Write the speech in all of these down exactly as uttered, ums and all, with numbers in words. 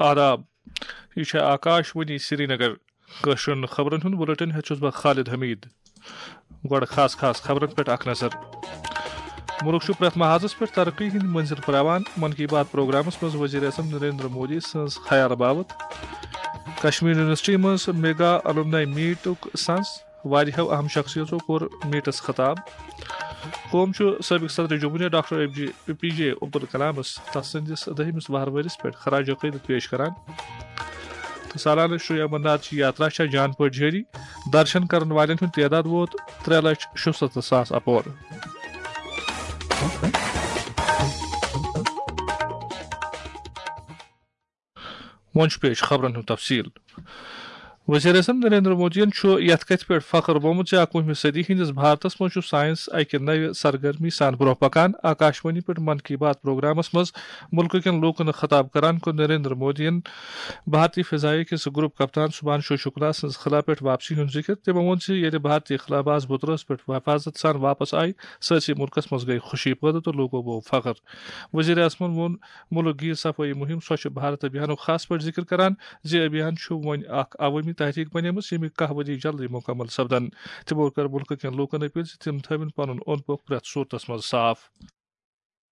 آداب، یہِ چھےٚ آکاش وانی سرینگر۔ کٲشرٮ۪ن خبرن ہُنٛد بُلٹن ہٮ۪تھ چھُس بہٕ خالد حمید۔ گۄڈٕ خاص خاص خبرن پٮ۪ٹھ اکھ نظر۔ مُلک چھُ پرٛٮ۪تھ محاذس پٮ۪ٹھ ترقی ہٕنٛدۍ مٔنزِل پرٛاوان، من کی بات پروگرامس منٛز وزیر اعظم نریندر مودی سٕنٛز خیال باوت۔ کشمیر یونیورسٹی منٛز میگا الومناے میٹُک سنز، واریاہو اہم شخصیتو کوٚر میٹس خطاب۔ قوم چھُ سٲبق صدر جمہوریہ ڈاکٹر اے پی جے عبدالکلامس تس سٕنٛدِس دٔہمِس وہر ؤرِس پٮ۪ٹھ خراج عقیدت پیش کران۔ تہٕ سالانہٕ شری امرناتھ جی یاترا چھےٚ جان پٲٹھۍ جٲری۔ درشن کرن والٮ۪ن ہُنٛد تعداد ووت ترٛےٚ لچھ شُستتھ ساس اپور۔ وۄنۍ چھُ پیش خبرن ہُنٛد تفصیل۔ وزیر اعظم نریندر مودیَن چھُ یَتھ کَتھِ پٮ۪ٹھ فخر ووٚنمُت زِ اَکوُہمہِ صدی ہٕنٛدِس بھارتس منٛز چھُ ساینس اَکہِ نوِ سرگرمی سان برٛونٛہہ پکان۔ آکاشوانی پٮ۪ٹھ من کی بات پروگرامس منٛز مُلکہٕ کٮ۪ن لوٗکن خطاب کران کوٚر نریندر مودیَن بھارتی فضائیہ کِس گروپ کپتان سبھانشو شکلا سٕنٛز خلا پٮ۪ٹھ واپسی ہُنٛد ذکر۔ تِمو ووٚن زِ ییٚلہِ بھارتی خلا باز بُترس پٮ۪ٹھ حفاظت سان واپس آیہِ، سٲرسٕے مُلکس منٛز گٔیہِ خوشی پٲدٕ تہٕ لوٗکو بوو فخر۔ وزیر اعظمن ووٚن مُلک گیر صفٲیی مُہِم سوچھ بھارت ابھیانُک خاص پٲٹھۍ ذِکر کران زِ یہِ ابھیان چھُ وۄنۍ اکھ عوٲمی تحریک بنیمٕژ، ییٚمہِ کاہ ؤری جلدی مُکمل سپدن۔ تِمو کٔر مُلکہٕ کٮ۪ن لوٗکن اپیل زِ تِم تھٲوِن پنُن اوٚنٛد پوٚکھ پرٛٮ۪تھ صوٗرتس منٛز صاف۔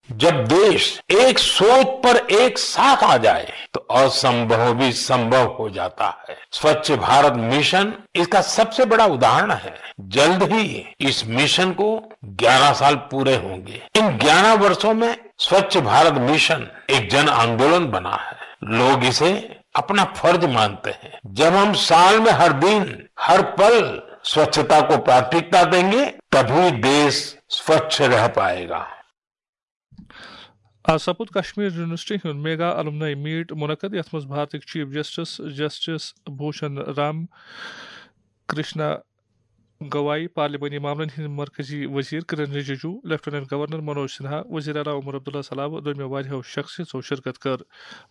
जब देश एक सोच पर एक साथ आ जाए, तो असंभव भी संभव हो जाता है। स्वच्छ भारत मिशन इसका सबसे बड़ा उदाहरण है। जल्द ही इस मिशन को ग्यारह साल पूरे होंगे। इन ग्यारह वर्षों में स्वच्छ भारत मिशन एक जन आंदोलन बना है। लोग इसे अपना फर्ज मानते हैं। जब हम साल में हर दिन, हर पल स्वच्छता को प्राथमिकता देंगे, तभी देश स्वच्छ रह पाएगा। آز سپُد کشمیر یونیورسٹی ہُنٛد میگا الومنائی میٹ منعقد، یَتھ منٛز بھارتٕکۍ chief justice justice Bhushan Ram Krishna Gavai, پارلیمانی معاملن ہٕنٛدۍ مرکزی وزیر کرن رجیجو، لیفٹیننٹ گورنر منوج سنہا، وزیر اعلیٰ عمر عبداللہ سلابہٕ دوٚیمو واریاہو شخصیژو شرکت کٔر۔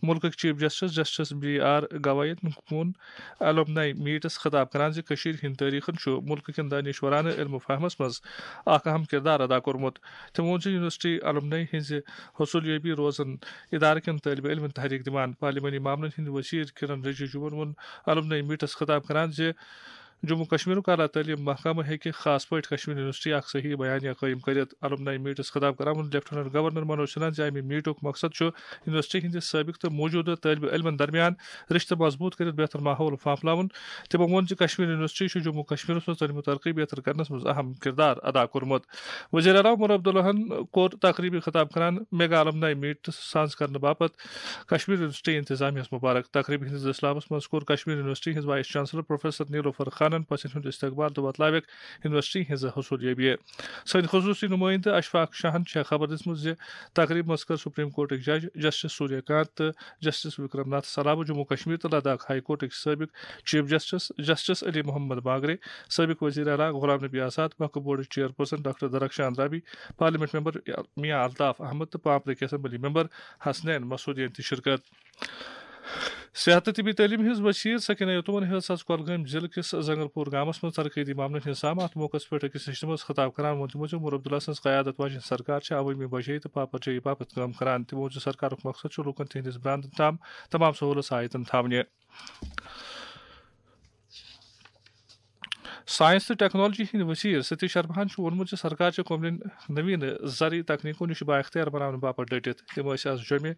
مُلکٕکۍ chief justice justice B R گوائیَن ووٚن الومنائی میٹس خطاب کران زِ کٔشیٖرِ ہٕنٛدۍ تٲریخن چھُ مُلکہٕ کٮ۪ن دانشورانہٕ علم و فہمس منٛز اکھ اہم کردار ادا کوٚرمُت۔ تٔمۍ ووٚن زِ یونیورسٹی الومنائی ہٕنٛزِ حوصلہٕ یٲبی روزن ادارٕ کٮ۪ن طٲلبہِ علمن تحریک دِوان۔ پارلیمانی معاملن ہٕنٛدۍ وزیر کرن رجیجوَن ووٚن الومنائی میٹس خطاب کران زِ جموں کشمیرُک اعلیٰ تعلیٖم محکمہٕ ہیٚکہِ خاص پٲٹھۍ کشمیر یونیورسٹی اکھ صحیح بیانیہ قٲیِم کٔرِتھ۔ الومنائی میٹس خطاب کران ووٚن لیفٹیننٹ گورنر منوج سنہاہن زِ امہِ میٹُک مقصد چھُ یونیورسٹی ہٕنٛدِ سٲبق تہٕ موجودٕ طٲلبہِ علمن درمیان رشتہٕ مضبوٗط کٔرِتھ بہتر ماحول پھانپھلاوُن۔ تِمو ووٚن زِ کشمیر یونیورسٹی چھُ جموں کشمیرس منٛز تعلیٖم و ترقی بہتر کرنس منٛز اہم کردار ادا کوٚرمُت۔ وزیر اعلیٰ عمر عبداللہن کوٚر تقریبی خطاب کران میگا الومنائی میٹ سانز کرنہٕ باپتھ کشمیر یونیورسٹی انتظامیہ ہس مبارک۔ تقریبہِ ہٕنٛدِس دٔسلابس منٛز کوٚر کشمیر یونیورسٹی ہٕنٛز وائس چانسلر پروفیسر نیلوفر خانن پژھن ہُنٛد استقبال تہٕ وۄتلٲوِکھ یونیورسٹی ہٕنٛز حوصلہٕ یٲبی۔ سٲنۍ خصوٗصی نُمٲیِندٕ اشفاق شاہن چھےٚ خبر دِژمٕژ زِ تقریبہِ منٛز کٔر سپریم کورٹٕکۍ جج جسٹس سوریہ کانت تہٕ جسٹس وکرم ناتھ سلابہٕ، جموں کشمیر تہٕ لداخ ہائی کورٹٕکۍ سٲبق chief justice justice Ali Mohammad Magrey, سٲبق وزیر اعلیٰ غلام نبی آزاد، وقف بورڈٕچ چیئرپرسن ڈاکٹر درخشان رابی، پارلیمنٹ ممبر میاں الطاف احمد تہٕ پانپرٕکۍ اسمبلی ممبر حسنین مسعودین تہِ شرکت۔ صحت تہٕ طبی تعلیٖم ہٕنٛز وزیر سکینہ یتومن ہیٚژ آز کۄلگٲمۍ ضلعہٕ کِس زنگرپور گامس منٛز ترقیتی معاملن ہٕنٛز سام۔ اتھ موقعس پٮ۪ٹھ أکِس نشستہِ منٛز خطاب کران ووٚن تِمو زِ عمر عبداللہ سٕنٛز قیادت واجیٚنۍ سرکار چھےٚ عوٲمی بجٲیی تہٕ پاپرجٲیی باپتھ کٲم کران۔ تِمو ووٚن زِ سرکارُک مقصد چھُ لوٗکن تِہنٛدِس براندن تام تمام سہوٗلژٕ آیتن تھاونہِ۔ ساینس تہٕ ٹیکنالوجی ہٕنٛدۍ وزیر ستیش شرماہن چھُ ووٚنمُت زِ سرکار چھےٚ قومن نوین زرعی تکنیکو نِش بااختیار بناونہٕ باپتھ ڈٔٹِتھ۔ تِم ٲسۍ آز جوٚمہِ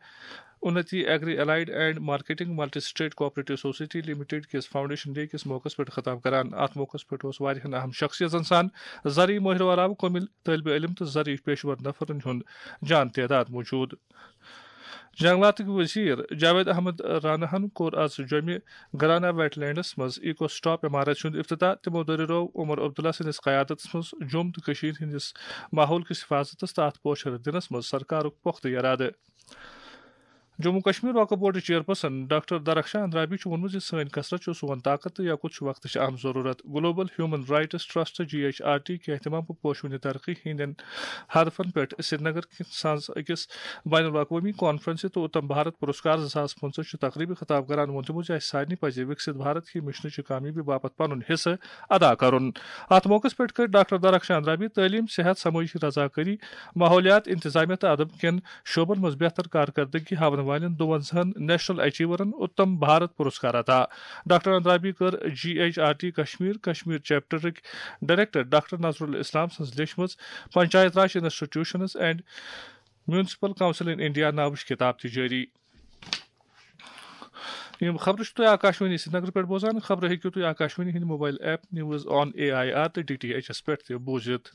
اُنتی agri allied and marketing multi state cooperative society limited کِس فاؤنڈیشن ڈے کِس موقعس پٮ۪ٹھ خطاب کران۔ اتھ موقعس پٮ۪ٹھ اوس واریاہن اہم شخصیژن سان زرعی مٲہرو علاوٕ قومی طٲلبہِ علم تہٕ زرعی پیشور نفرن ہُنٛد جان تعداد موجود۔ جنگلاتٕکۍ وزیر جاوید احمد راناہن کوٚر آز جوٚمہِ گرانا ویٹ لینڈس منٛز ایکو سٹاپ عمارت ہُنٛد افتتاح۔ تِمو دٔریرٲو عمر عبداللہ سٕنٛدِس قیادتس منٛز جوٚم تہٕ کٔشیٖر ہٕنٛدِس ماحول کِس حفاظتس تہٕ اتھ پوچھر دِنس منٛز سرکارُک پۄختہٕ ارادٕ۔ جموں کشمیر وقف بورڈٕچ چیئرپرسن ڈاکٹر درخشان رابی چھُ ووٚنمُت زِ سٲنۍ کثرت چھُ سون طاقت تہٕ یکُت چھُ وقتٕچ اہم ضروٗرت۔ Global human rights trust, G H R T, کہِ اہتمام پٲٹھۍ پوشوٕنہِ ترقی ہٕنٛدٮ۪ن ہدفن پٮ۪ٹھ سرینگر کِس سانز أکِس بین الاقوٲمی کانفرنسہِ تہٕ اُتم بھارت پُرسکار زٕ ساس پٕنٛژٕہ چہِ تقریبہِ خطاب کران ووٚن تِمو زِ اسہِ سارنٕے پزِ وِکسِت بھارت کہِ مشنٕچہِ کامیٲبی باپتھ پنُن حصہٕ ادا کرُن۔ اتھ موقعس پٮ۪ٹھ کٔر ڈاکٹر درخشان رابی تعلیٖم، صحت، سمٲجی رضاکٲری، ماحولیات، انتظامیہ تہٕ ادب کٮ۪ن شعبن منٛز بہتر کارکردگی ہاونہٕ والٮ۪ن دُوَنزاہَن نیشنل اچیورن اتم بھارت پرسکار عطا۔ ڈاکٹر اندرابی کٔر G H R T Kashmir, Kashmir چیپٹرٕکۍ ڈائریکٹر ڈاکٹر نذرالاسلام سٕنٛز لیچھمٕژ panchayat raj institutions and municipal council in India ناوٕچ کتاب تہِ جٲری۔ یِم خبرٕ چھِ تُہۍ آکاشوانی سرینگر پٮ۪ٹھ بوزان۔ خبرٕ ہیٚکِو تُہۍ آکاشوانی ہٕنٛدِ mobile app news on A I R تہٕ ڈی ٹی ایچ ایس پٮ۪ٹھ تہِ بوٗزِتھ۔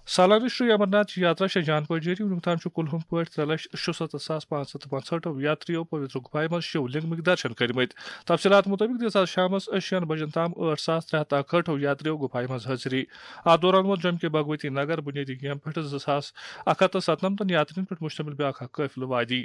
سالانہٕ شری امرناتھ یاترا چھےٚ جان پٲٹھۍ جٲری۔ وُنیُک تام چھُ کُلہُم پٲٹھۍ ترٛےٚ لچھ شُستتھ ساس پانٛژھ ہتھ تہٕ پانٛژہٲٹھ یاتریو پویترک گُپایہِ منٛز شِو لنگمٕکۍ درشن کٔرمٕتۍ۔ تفصیلات مُطٲبِق دِژ آز شامَس شیٚن بجن تام ٲٹھ ساس ترٛےٚ ہتھ تہٕ اکہٲٹھ یاتریو گُپایہِ منٛز حٲضری۔ اتھ دوران ووت جوٚمہِ کہِ بھگوتی نگر بُنیٲدی کیمپ پٮ۪ٹھ زٕ ساس اکھ ہتھ تہٕ ستنمتن یاترین پٮ۪ٹھ مشتمل بیاکھ اکھ قٲفلہٕ وادی۔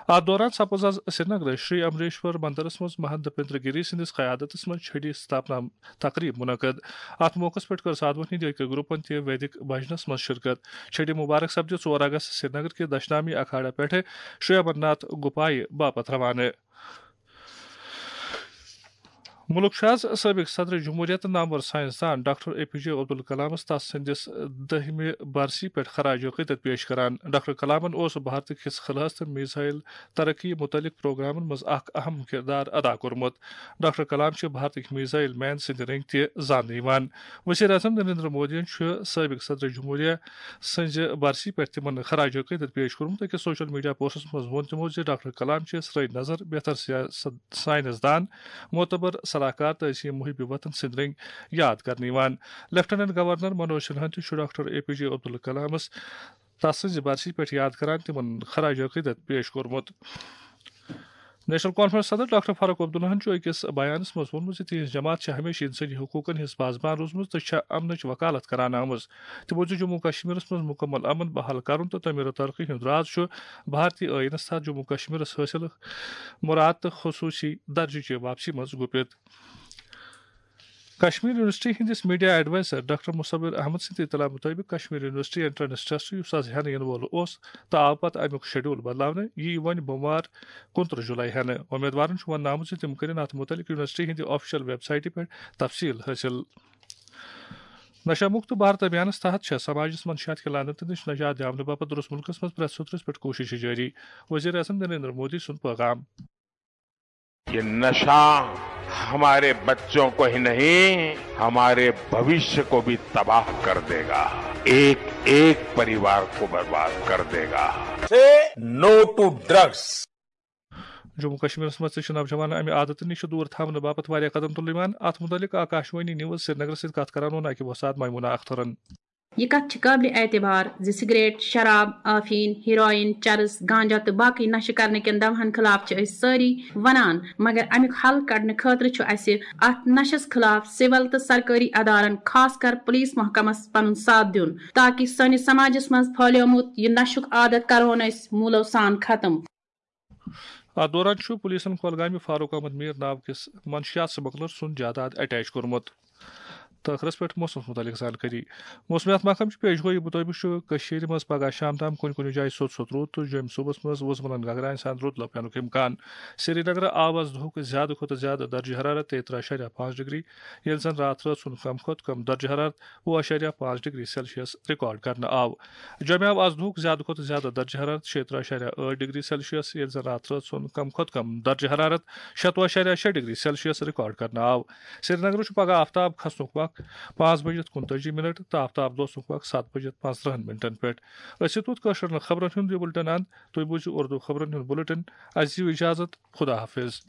اتھ دوران سپٕز آز سرینگرٕ شری امریشور مندرس منٛز مہنت دپیندر گیری سٕنٛدِس قیادتس منٛز چھڑی ستاپنا تقریب منعقد۔ اتھ موقعس پٮ۪ٹھ کٔر سادھوہن ہٕنٛدۍ أکۍ گروپن تہِ ویدک بھجنس منٛز شرکت۔ چھڑی مبارک سپدِ ژور اگست سرینگر کہِ دشنامی اکھاڑا پٮ۪ٹھٕ شری امرناتھ گُپایہِ باپتھ روانہٕ۔ مُلک چھُ آز سٲبِق صدر جمہوریہ تہٕ نامور سائنسدان ڈاکٹر اے پی جے عبدالکلامس تس سٕنٛدِس دٔہمہِ برسی پٮ۪ٹھ خراج عقیدت پیش کران۔ ڈاکٹر کلامن اوس بھارتٕکۍ حصہٕ خلہس تہٕ میزائل ترقی متعلق پروگرامن منٛز اکھ اہم کردار ادا کوٚرمُت۔ ڈاکٹر کلام چھِ بھارتٕکۍ میزائل مین سٕنٛدِ رٔنگۍ تہِ زاننہٕ یِوان۔ وزیر اعظم نریندر مودیَن چھُ سٲبِق صدر جمہوریہ سٕنٛزِ برسی پٮ۪ٹھ تِمن خراج عقیدت پیش کوٚرمُت۔ أکِس سوشل میڈیا پوسٹس منٛز ووٚن تِمو زِ ڈاکٹر کلام چھِ سرٲے نظر بہتر سیاست، سائنسدان، معتبر صلاح کار تہٕ عظیم محب وطن سٕنٛدۍ رٔنگۍ یاد کرنہٕ یِوان۔ لیفٹیننٹ گورنر منوج سنہاہن تہِ چھُ ڈاکٹر اے پی جے عبدالکلامس تس سٕنٛزِ برسی پٮ۪ٹھ یاد کران تِمن خراج عقیدت پیش کوٚرمُت۔ نیشنل کانفرنس صدر ڈاکٹر فاروق عبداللہن چھُ أکِس بیانس منٛز ووٚنمُت زِ تِہنٛز جماعت چھےٚ ہمیشہٕ انسٲنی حقوقن ہٕنٛز پاسبان روٗزمٕژ تہٕ چھےٚ امنٕچ وکالت کران آمٕژ۔ تِمو دِژ جموں کشمیرس منٛز مکمل امن بحال کرُن تہٕ تعمیٖر و ترقی ہُنٛد راز چھُ بھارتی ٲییٖنس تحت جموں کشمیرس حٲصِل مراد تہٕ خصوٗصی درجہٕ چہِ واپسی منٛز گُپِتھ۔ کشمیر یونیورسٹی ہٕنٛدِس میڈیا ایڈوائزر ڈاکٹر مصور احمد سٕنٛدِ اطلاع مُطٲبِق، کشمیر یونیورسٹی انٹرنس ٹیسٹ، یُس آز ہٮ۪نہٕ یِنہٕ وول اوس تہٕ آو پتہٕ امیُک شیڈول بدلاونہٕ، یِیہِ وۄنۍ بۄموار کُنترٕہ جولائی ہٮ۪نہٕ۔ امیدوارن چھُ وننہٕ آمُت زِ تِم کٔرِن اتھ مُتعلق یونیورسٹی ہٕنٛدِ آفیشل ویب سائٹہِ پٮ۪ٹھ تفصیل حٲصِل۔ نشہ مکت بھارت ابھیانس تحت چھےٚ سماجس منٛز نشہ کہِ لعنتہٕ نِش نجات دِیاونہٕ باپتھ درست مُلکس منٛز پرٛٮ۪تھ سطرس پٮ۪ٹھ کوٗششہِ جٲری۔ وزیر اعظم نریندر مودی سُنٛد پیغام۔ یہ نشہ ہمارے بچوں کو ہی نہیں، ہمارے بھوشیہ کو بھی تباہ کر دے گا، ایک ایک پریوار کو برباد کر دے گا۔ Say no to drugs. Jammu کشمیرس منٛز تہِ چھِ نوجوان امہِ عادتہٕ نِش دوٗر تھاونہٕ باپتھ واریاہ قدم تُلنہٕ یِوان۔ اتھ مُتعلق آکاشوانی نیوز سرینگرس سۭتۍ کتھ کران ووٚن اکہِ وۄستاد میمونہ اخترن۔ یہ کتھ چھِ قابل اعتبار زِ سگریٹ، شراب، آفین، ہیروئن، چرس، گانجہ تہٕ باقی نشہٕ کرنہٕ کٮ۪ن دوہن خلاف چھِ أسۍ سٲری ونان، مگر امیُک حل کڑنہٕ خٲطرٕ چھُ اسہِ اتھ نشس خلاف سول تہٕ سرکٲری ادارن، خاص کر پولیس محکمس پنُن ساتھ دیُن، تاکہ سٲنِس سماجس منٛز پھہلیومُت یہِ نشُک عادت کرہون أسۍ موٗلو سان ختم۔ اتھ دوران چھُ پولیسن کۄلگامہِ فاروق احمد میر ناو کِس منشیات سمگلر سُنٛد جائیداد اٹیچ کوٚرمُت۔ تہٕ ٲخرس پٮ۪ٹھ موسمس مُتعلق زانکٲری۔ موسمیات محکمہٕ چہِ پیش گویی مُطٲبِق چھُ کٔشیٖرِ منٛز پگہہ شام تام کُنہِ کُنہِ جایہِ سوٚت سوٚت روٗد تہٕ جوٚمہِ صُبحس منٛز وُزملن گگراین سان رُت لۄپینُک امکان۔ سرینگرٕ آو از دُہُک زیادٕ کھۄتہٕ زیادٕ درجہٕ حرارت تیٚیہِ ترٕٛہ اعشاریہ پانٛژھ ڈگری، ییٚلہِ زن راتھ رٲژ ہُنٛد کم کھۄتہٕ کم درجہٕ حرارت وُہ اعشاریہ پانٛژھ ڈگری سیلسیس ریکارڈ کرنہٕ آو۔ جوٚمہِ آو از دُہُک زیادٕ کھۄتہٕ زیادٕ درجہٕ حرارت شیٚیہِ ترٕٛہ اعشاریہ ٲٹھ ڈگری سیلسیس، ییٚلہِ زن راتھ رٲژ ہُنٛد کم کھۄتہٕ کم درجہٕ حرارت شیٚتوُہ اعشاریہ شیٚے ڈگری سیلسیس ریکارڈ کرنہٕ آو۔ سرینگرٕ چھُ پگہہ آفتاب کھسنُک وق پانٛژھ بجِتھ کُنتٲجی منٹ تہٕ آفتاب لوسنُک وق ستھ بجِتھ پانٛژترٕٛہن منٹن پٮ۪ٹھ۔ أسۍ یوت کٲشرٮ۪ن خبرن ہُنٛد یہِ بُلٹن اند۔ تُہۍ بوٗزِو اردو خبرن ہُنٛد بُلٹن۔ اَسہِ دِیِو اجازت۔ خدا حافظ۔